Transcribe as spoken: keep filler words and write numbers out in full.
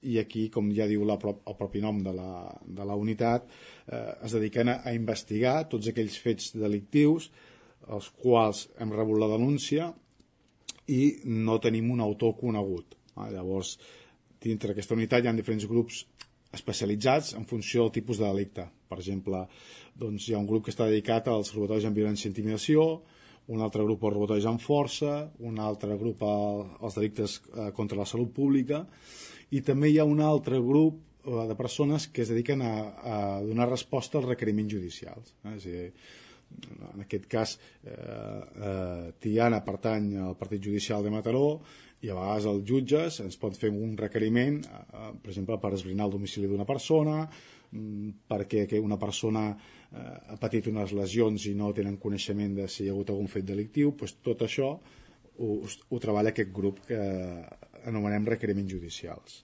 i aquí, com ja diu la, el propi nom de la, de la unitat, eh, es dediquen a, a investigar tots aquells fets delictius els quals hem rebut la denúncia i no tenim un autor conegut. Ah, llavors, dintre d'aquesta unitat hi ha diferents grups especialitzats en funció del tipus de delicte. Per exemple, doncs, hi ha un grup que està dedicat als robatoris amb violència i intimidació, un altre grup als robatoris amb força, un altre grup als delictes contra la salut pública, i també hi ha un altre grup de persones que es dediquen a, a donar resposta als requeriments judicials. Eh? És a dir, en aquest cas, eh, eh, Tiana pertany al Partit Judicial de Mataró, i a vegades els jutges ens pot fer un requeriment, eh, per exemple, per esbrinar el domicili d'una persona, perquè una persona eh, ha patit unes lesions i no tenen coneixement de si hi ha hagut algun fet delictiu. Doncs tot això ho, ho treballa aquest grup que anomenem requeriments judicials.